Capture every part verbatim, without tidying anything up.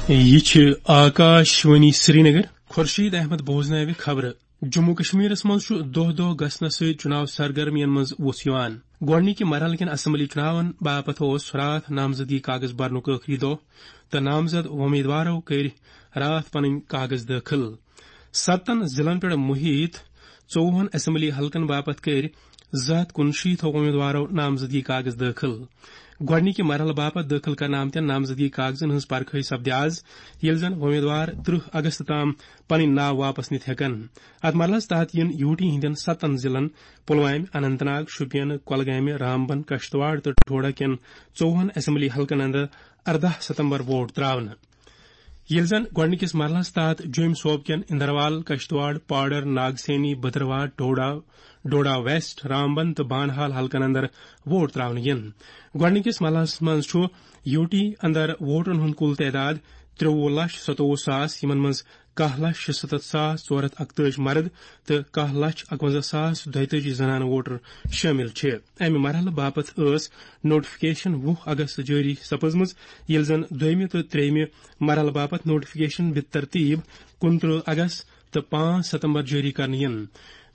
یہِ چھِ آکاش وانی سرینگر۔ خورشید احمد بوزناوِ خبرٕ۔ جموں کشمیرس منٛز چھُ دۄہ دۄہ گژھنہٕ سۭتۍ چُناو سرگرمیَن منٛز وُژھ یِوان۔ گۄڈٕنِکہِ مرحلہٕ کٮ۪ن اسمبلی چُناون باپتھ اوس راتھ نامزدگی کاغذ برنُک ٲخری دۄہ تہٕ نامزد وۄمیدوارو کٔرۍ راتھ پنٕنۍ کاغذ دٲخل۔ ستن ضلعن پٮ۪ٹھ محیط ژوٚوُہن اسمبلی حلقن باپتھ کٔرۍ زٕ ہتھ کُنشیٖتھ وۄمیدوارو نامزدگی کاغذ دٲخل۔ گۄڈٕنِکہِ مرحلہٕ باپتھ دٲخل کرنہٕ آمتٮ۪ن نامزدگی کاغذن ہٕنٛز پرکھٲے سپدِ آز، ییٚلہِ زن وۄمیدوار ترٕہ اگست تام پنٕنۍ ناو واپس نِتھ ہٮ۪کن۔ اتھ مرحلس تحت یِن یوٗ ٹی ہٕنٛدٮ۪ن ستن ضلعن، پلوامہِ، اننت ناگ، شوپین، کۄلگامہِ، رامبن، کشتواڑ تہٕ ڈھوڈا کٮ۪ن ژوٚوُہن اسمبلی حلقن اندر ارداہ ستمبر ووٹ تراونہٕ۔ ییٚلہِ زن گۄڈٕنِکِس مرحلس تحت جوٚمۍ صوبہٕ کٮ۪ن اندروال، کشتواڑ، پاڈر، ناگسینی، بدرواہ، ڈوڈا، ڈوڈا ویسٹ، رامبن تہٕ بانہال حلقن اندر ووٹ تراونہٕ یِن۔ گۄڈٕنِکِس مرحلس منٛز چھُ یوٗ ٹی اندر ووٹرن ہُنٛد کُل تعداد ترٛوُہ لچھ ستووُہ ساس، یِمن منٛز کاہ لچھ شُستتھ ساس ژور ہتھ اکتٲجی مرد تہٕ کاہ لچھ اکونزہ ساس دۄیتٲجی زنانہٕ ووٹر شٲمِل چھِ۔ امہِ مرحلہٕ باپتھ ٲس نوٹیفکیشن وُہ اگست جٲری سپٕزمٕژ، ییٚلہِ زن دوٚیمہِ تہٕ ترٛیٚیمہِ مرحلہٕ باپتھ نوٹیفکیشن بترتیب کُنترٕہ اگست تہٕ پانٛژھ ستمبر جٲری کرنہٕ یِن۔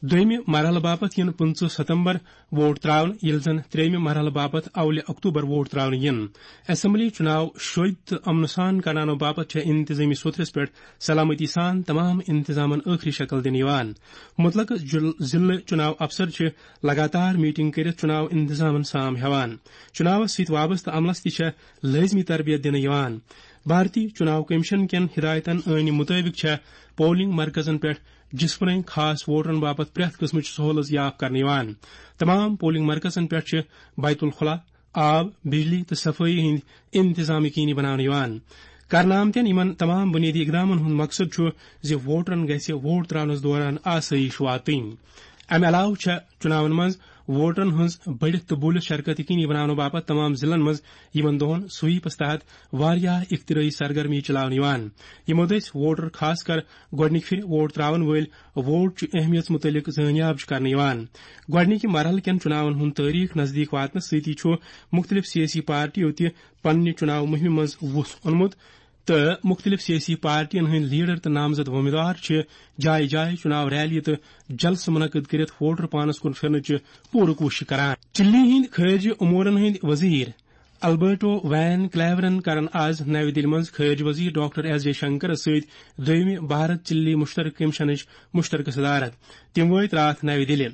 دوٚیمہِ مرحلہٕ باپتھ یِن پٕنٛژٕہ ستمبر ووٹ تراونہٕ، ییٚلہِ زن ترٛیٚیمہِ مرحلہٕ باپتھ اولہِ اکتوبر ووٹ تراونہٕ یِن۔ اسمبلی چُناو شوٚدۍ تہٕ امنہٕ سان کرناونہٕ باپتھ چھےٚ انتظٲمی سوٚتھرس پٮ۪ٹھ سلامتی سان تمام انتظامن ٲخری شکل دِنہٕ یِوان۔ مُتعلقہٕ جُل-، ضلعہٕ چُناو افسر چھِ لگاتار میٹنگ کٔرِتھ چُناو انتظامن سام ہٮ۪وان۔ چُناوس سۭتۍ وابستہٕ عملس تہِ چھےٚ لٲزمی تربیت دِنہٕ یِوان۔ بھارتی چُناو کمیشن کٮ۪ن ہدایتن عٲنی مُطٲبِق چھےٚ پولنگ مرکزن پٮ۪ٹھ جسمٲنی خاص ووٹرن باپتھ پرٛٮ۪تھ قٕسمٕچ سہولت یاف کرنہٕ یِوان۔ تمام پولنگ مرکزن پٮ۪ٹھ چھِ بیت الخلا، آب، بجلی تہٕ صفٲیی ہٕنٛدۍ انتظام یقینی بناونہٕ یِوان۔ کرنہٕ آمتٮ۪ن یِمن تمام بُنیٲدی اقدامن ہُنٛد مقصد چھُ زِ ووٹرن گژھِ ووٹ تراونس دوران آسٲیِش واتٕنۍ۔ امہِ علاوٕ چھےٚ چُناون منٛز ووٹرن ہٕنٛز بٔڑِتھ تہٕ بوٗلِتھ شرکت یقینی بناونہٕ باپتھ تمام ضلعن منٛز یِمن دۄہن سویپس تحت واریاہ اختراعی سرگرمی چلاونہٕ یِوان۔ یِمو دٔسۍ ووٹر، خاص کر گۄڈٕنِکہِ پھِرِ ووٹ تراون وٲلۍ، ووٹ چہِ اہمیت مُتعلق زٲنیاب چھُ کرنہٕ یِوان۔ گۄڈٕنِکہِ مرحلہٕ کٮ۪ن چُناون ہُنٛد تٲریخ نزدیٖک واتنہٕ سۭتی چھُ مُختٔلِف سیٲسی پارٹیو تہِ پننہِ چُناو مُہِمہِ منٛز وُژھ اوٚنمُت تہٕ مُختٔلِف سیٲسی پارٹین ہٕنٛدۍ لیڈر تہٕ نامزد وۄمیدوار چھِ جایہِ جایہِ چُناو ریلی تہٕ جلسہٕ منعقد کٔرِتھ ووٹر پانس کُن پھِرنٕچہِ پوٗرٕ کوٗشش کران۔ چلی ہٕنٛدۍ خارجہ امورن ہٕنٛدۍ وزیر البرٹو وین کلیورن کرن آز نَوِ دِلہِ منٛز خارجہ وزیر ڈاکٹر ایس جے شنکرس سۭتۍ دوٚیمہِ بھارت چلی مشترکہ کمیشنٕچ مشترکہ صدارت۔ تِم وٲتۍ راتھ نَوِ دِلہِ۔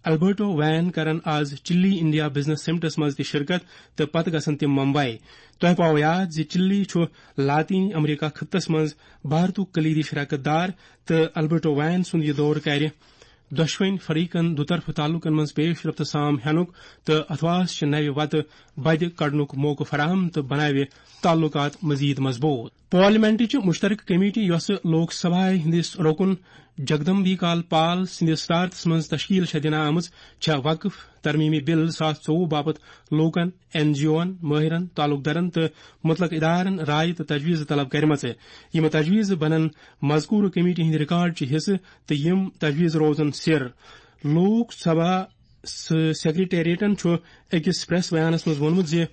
البرٹو وین کرن آز چلی انڈیا بزنس سمٹس منٛز تہِ شرکت تہٕ پتہٕ گژھن تِم ممبئی۔ تۄہہِ پاوو یاد زِ چلی چھُ لاطینی امریکہ خطس منٛز بھارتُک کلیدی شراکت دار تہٕ البرٹو وین سُنٛد یہِ دورٕ کرِ دۄشوٕنۍ فریقن دُطرفہٕ تعلقن منٛز پیش رفت سام ہینُک تہٕ اتھواس چہِ نوِ وتہٕ بدِ کڑنُک موقعہٕ فراہم تہٕ بناوِ تعلقات مزید مضبوط۔ پارلیمنٹٕچ مشترکہ کمیٹی، یۄسہٕ لوک سبھایہ ہٕنٛدِس رکن جگدمبی کال پال سٕنٛدِس صدارتس منٛز تشکیل چھےٚ دِنہٕ آمٕژ، چھےٚ وقف ترمیمی بل زٕ ساس ژوٚوُہ باپتھ لوکن، این جی اوَن، مٲہرن، تعلق دارن تہٕ متعلق ادارن رائے تہٕ تجویز طلب کرمژ۔ یِم تجویز بنن مذکورہ کمیٹی ہٕنٛدِ ریکارڈ چہِ حصہٕ تہٕ یِم تجویز روزن سِر۔ لوک سبھا س-، سیکرٹریٹن چھُ أکِس پریس بیانس منٛز ووٚنمُت زِ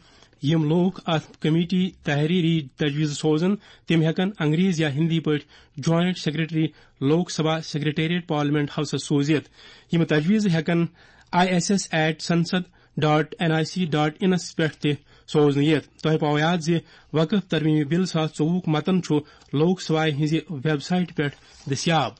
یِم لوک اتھ کمیٹی تحریری تجویز سوزن، تِم ہٮ۪کن انگریز یا ہندی پٲٹھۍ joint secretary Lok Sabha secretariat parliament ہاؤسس سوٗزِتھ۔ یِم تجویز ہٮ۪کن I S S at Sansad dot N I C dot انس پٮ۪ٹھ تہِ سوزنہٕ یِتھ۔ تۄہہِ پاوو یاد زِ وقف ترمیمی بل زٕ ساس ژوٚوُہُک متن چھُ لوک سبھایہ ہٕنٛزِ ویب سائٹہِ پٮ۪ٹھ دٔستیاب۔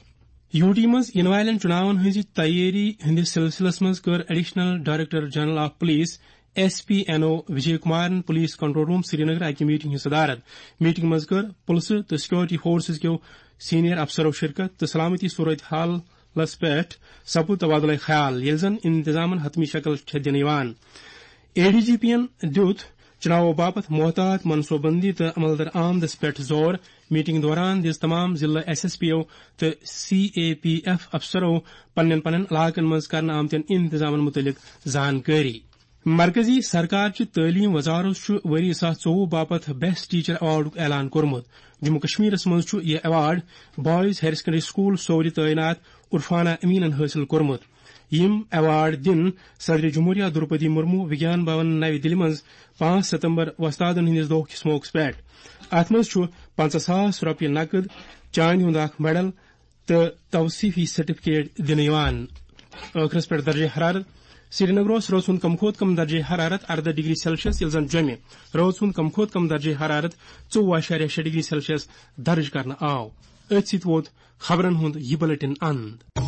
یوٗ ٹی منٛز یِنہٕ والٮ۪ن چُناون ہٕنٛزِ تیٲری ہٕنٛدِس سلسلس منٛز کٔر additional director general of police, S P N O, Vijay کمارن پولیس کنٹرول روم سرینگر اکہِ میٹنگ ہٕنٛز صدارت۔ میٹنگ منٛز کٔر پُلسہٕ تہٕ سیکورٹی فورسز کیو سینئر افسرو شرکت تہٕ سلامتی صورت حالس پٮ۪ٹھ سپُد تبادلہ خیال، ییٚلہِ زن انتظامن حتمی شکل چھےٚ دِنہٕ یِوان۔ اے ڈی جی پی ین دیُت چُناوو باپتھ محتاط منصوبہٕ بندی تہٕ عمل درآمدس پٮ۪ٹھ زور۔ میٹنگ دوران دِژ تمام ضلع ایس ایس پی او تہٕ سی اے پی ایف افسرو پننٮ۪ن پننٮ۪ن علاقن منٛز کرنہٕ آمتٮ۪ن انتظامن مُتعلق زانکٲری۔ مرکزی سرکار چہِ تعلیٖم وزارت چھُ ؤری زٕ ساس ژوٚوُہ باپتھ بیسٹ ٹیچر ایوارڈُک اعلان کوٚرمُت۔ جموں کشمیرس منٛز چھُ یہِ award boys higher secondary school سورِ تعینات عرفانہ امینن حٲصِل کوٚرمُت۔ یِم ایوارڈ دِن صدر جمہوریہ درپدی مرمو وگیان بھون نَوِ دِلہِ منٛز پانٛژھ ستمبر وۄستادن ہٕنٛدِس دۄہ کِس موقعس پٮ۪ٹھ۔ اتھ منٛز چھُ پنٛژاہ ساس رۄپیہِ نقد، چاندِ ہُنٛد اکھ میڈل تہٕ توصیفی سرٹیفکیٹ دِنہٕ یِوان۔ ٲخرس پٮ۪ٹھ درجہ حرارت۔ سرینگرس روز ہُنٛد کم کھۄتہٕ کم درجہ حرارت ارداہ ڈگری سیلسیس، ییٚلہِ زن جوٚمہِ روز ہُنٛد کم کھۄتہٕ کم درجہ حرارت ژوٚوُہ اعشاریہ شےٚ ڈگری سیلسیس درج کرنہٕ آو۔ أتھۍ سۭتۍ ووت خبرن ہُنٛد یہِ بلیٹن اند۔